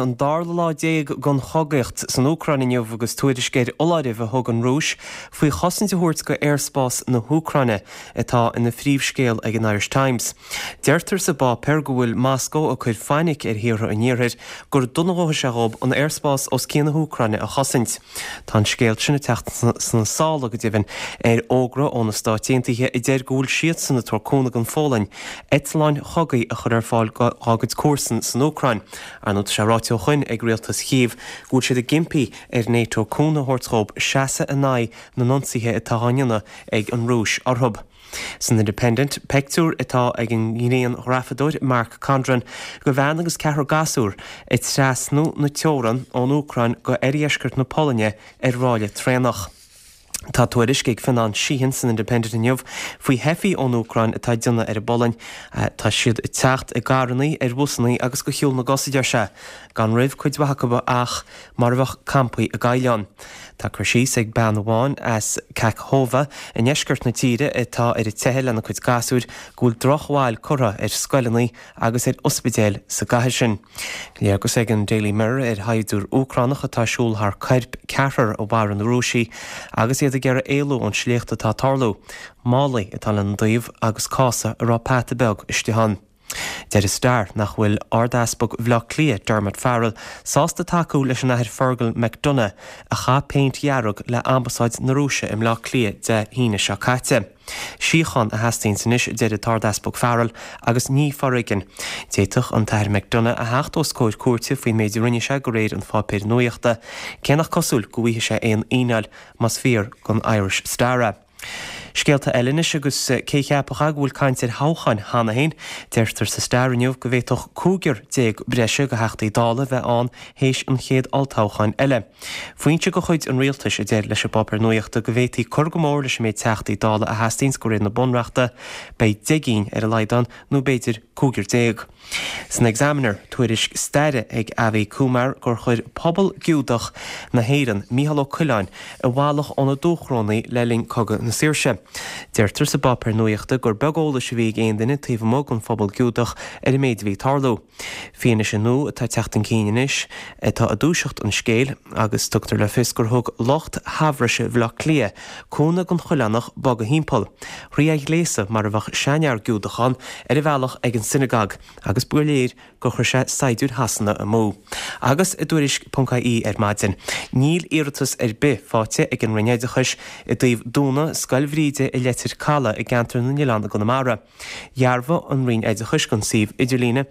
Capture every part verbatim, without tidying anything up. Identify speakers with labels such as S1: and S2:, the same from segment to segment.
S1: An dara lá déag den chogaíocht san Úcráin inniu agus tuairisc ar fholáireamh a thug an Rúis faoi chosaint a thabhairt go aerspás na hÚcráine atá ina phríomhscéal ag an Irish Times. Deirtear sa bpáipéar go bhfuil Moscó ag cur fainic ar thíortha an iarthair gur dona a gheobhaidh sé dhóibh an aerspás os cionn na hÚcráine a chosaint. Tá an scéal sin ag teacht sna sála go deimhin ar fhógra ó na Stáit Aontaithe a deir go bhfuil siadsan ag tabhairt cúnamh don Pholainn eitleáin chogaidh a chur ar fáil dá gcuid comharsan san Úcráin. Ar ndóigh tá sé ráite ó shoin ag rialtas Chív go bhfuil siad ag impí ar NATO cúnamh a thabhairt dhóibh seasamh in aghaidh na n-ionsaithe atá á ndéanamh ag an Rúis orthu. San Independent, pictiúr atá ag an ngrianghrafadóir Mark Condron de bhean agus ceathrar gasúr ag trasnú na teorann ón Úcráin go oirdheisceart na Polainne ar ráille traenach. Tá tuairisc ag Fionán Sheehan san Independent inniu faoi theifigh ón Úcráin atá ag déanamh ar an bPolainn. Tá siad ag teacht i gcarranna, ar bhusanna agus de shiúl na gcos, a deir sé, gan roimh cuid mhaith acu ach mar a bheadh campaí i gcaisleán. Tá cur síos ag bean amháin as Kakhovka i ndeisceart na tíre atá ar a teitheadh lena cuid gasúir go bhfuil drochbhail curtha ar scoileanna agus ar ospidéil sa gcathair sin. Léargas ag an Daily Mirror ar shaighdiúir Úcránach atá ag siúl thar coirp ceathrar a mharaigh na Rúisigh agus iad ag iarraidh éalú ón sléacht atá ag tarlú. Málaí atá lena dtaobh agus cása a raibh peata beag istigh ann. Deir an Star nach bhfuil Ard-Easpag Bhaile Átha Cliath, Dermot Farrell, sásta tacú leis an Athair Fergal McDonagh a chaith péint dhearg le Ambasáid na Rúise i mBleá Cliath Dé hAoine seo caite. Síocháin a theastaíonns anois, a deir an tArd-Easpag Farrell, agus ní foréigean. D'fhéadfadh an tAthair McDonagh a theacht os comhair cúirte faoin méid a rinne sé de réir an pháipéir nuachta, cé nach cosúil go bhfaighidh sé aon fhíneáil más fíor don Irish Star é. Scéalta eile anois agus cé a cheapfadh go bhfuil caint ar thoghcháin cheana féin. Deirtear sa Star inniu go bhféadfadh cúigear déag breise de Theachtaí Dála bheith ann théis an chéad olltoghcháin eile. Foinse de chuid an rialtais a deir leis an bpáipéar nuachta go bhféadfaí cur go mór leis an méid Teachtaí Dála a theastaíonns de réir na Bunreachta, beidh deich gcinn ar a laghad ann nó b'fhéidir cúigear déag. San Examiner, tuairisc staire ag Avi Kumar gur chuir pobal Giúdach na hÉireann Mícheál Ó Coileáin i bhfalach óna dúchrónaí le linn Cogadh na Saoirse. Deirtear sa bpáipéar nuachta gur beag eolais a bhí ag aon duine taobh amuigh den phobal Giúdach ar an méid a bhí ag tarlú. Fianaise nua atá ag teacht chun cinn anois atá ag dúiseacht an scéil agus tugtar le fios gur thug lucht shaibhris Bhaile Átha Cliath cúnamh don Choileánach bogadh thimpeall, thrí a ghléasadh mar a bheadh seanfhear Giúdach ann ar a bhealach ag an sionagóg agus ba léir gur chuir sé saighdiúir Shasana amú. Agus i dTuairisc ponc ie ar maidin, níl iarratas ar bith faighte ag an Roinn Oideachais i dtaobh dúnadh Scoil Bhríde i Leitir Caladh i gceantar na nOileán i gConamara. Dhearbhaigh an Roinn Oideachais don suíomh idirlíne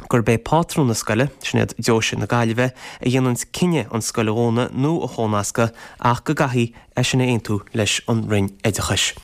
S1: gurb é pátrún na scoile, sin iad Deoise na Gaillimhe, a dhéananns cinneadh an scoil a dhúnadh nó a chónascadh ach go gcaithfí é sin a aontú leis an Roinn Oideachais.